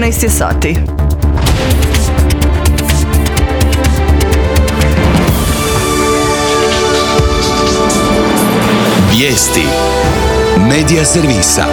14 je sati. Vijesti Medija servisa.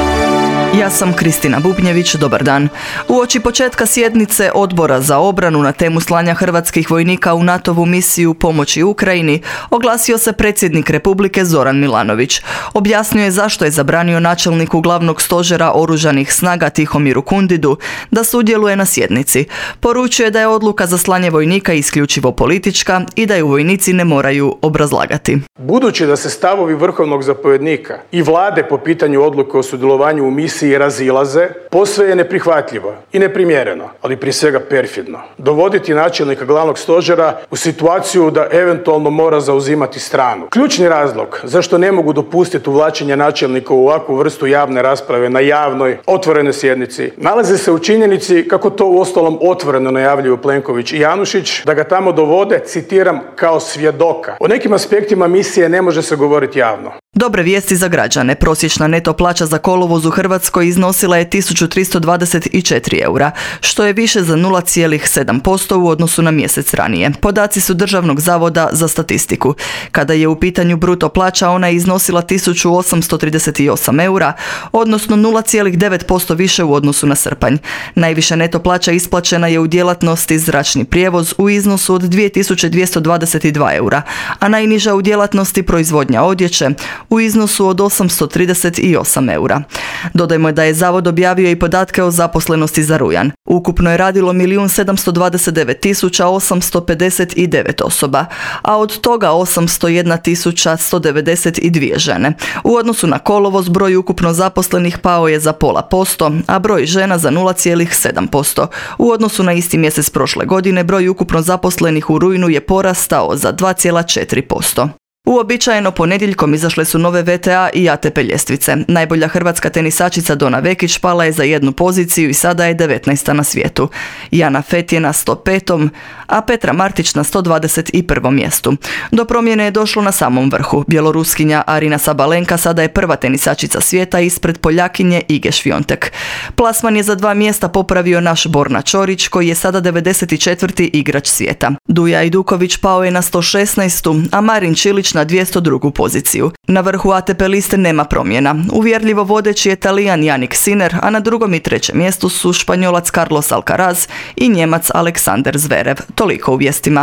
Ja sam Kristina Bubnjević, dobar dan. Uoči početka sjednice Odbora za obranu na temu slanja hrvatskih vojnika u NATO-vu misiju pomoći Ukrajini oglasio se predsjednik Republike Zoran Milanović. Objasnio je zašto je zabranio načelniku glavnog stožera oružanih snaga Tihomiru Kundidu da sudjeluje na sjednici. Poručuje da je odluka za slanje vojnika isključivo politička i da ju vojnici ne moraju obrazlagati. Budući da se stavovi vrhovnog zapovjednika i vlade po pitanju odluke o sudjelovanju u misiji razilaze, posve je neprihvatljivo i neprimjereno, ali prije svega perfidno, dovoditi načelnika glavnog stožera u situaciju da eventualno mora zauzimati stranu. Ključni razlog zašto ne mogu dopustiti uvlačenje načelnika u ovakvu vrstu javne rasprave na javnoj, otvorenoj sjednici nalazi se u činjenici, kako to uostalom otvoreno najavljuju Plenković i Janušić, da ga tamo dovode, citiram, kao svjedoka. O nekim aspektima misije ne može se govoriti javno. Dobre vijesti za građane. Prosječna neto plaća za kolovoz u Hrvatskoj iznosila je 1324 eura, što je više za 0,7% u odnosu na mjesec ranije. Podaci su Državnog zavoda za statistiku. Kada je u pitanju bruto plaća, ona je iznosila 1838 eura, odnosno 0,9% više u odnosu na srpanj. Najviša neto plaća isplaćena je u djelatnosti zračni prijevoz u iznosu od 2222 eura, a najniža u djelatnosti proizvodnja odjeće u iznosu od 838 eura. Dodajmo da je Zavod objavio i podatke o zaposlenosti za rujan. Ukupno je radilo 1.729.859 osoba, a od toga 801.192 žene. U odnosu na kolovoz broj ukupno zaposlenih pao je za 0,5%, a broj žena za 0,7%. U odnosu na isti mjesec prošle godine broj ukupno zaposlenih u rujnu je porastao za 2,4%. Uobičajeno ponedjeljkom izašle su nove VTA i ATP ljestvice. Najbolja hrvatska tenisačica Dona Vekić pala je za jednu poziciju i sada je 19. na svijetu. Jana Fett je na 105. a Petra Martić na 121. mjestu. Do promjene je došlo na samom vrhu. Bjeloruskinja Arina Sabalenka sada je prva tenisačica svijeta ispred Poljakinje Ige Šviontek. Plasman je za 2 mjesta popravio naš Borna Ćorić, koji je sada 94. igrač svijeta. Duja Ajduković pao je na 116. a Marin Čilić na 202. poziciju. Na vrhu ATP liste nema promjena. Uvjerljivo vodeći je Talijan Jannik Sinner, a na 2. i 3. mjestu su Španjolac Carlos Alcaraz i Njemac Aleksander Zverev. Toliko u vijestima.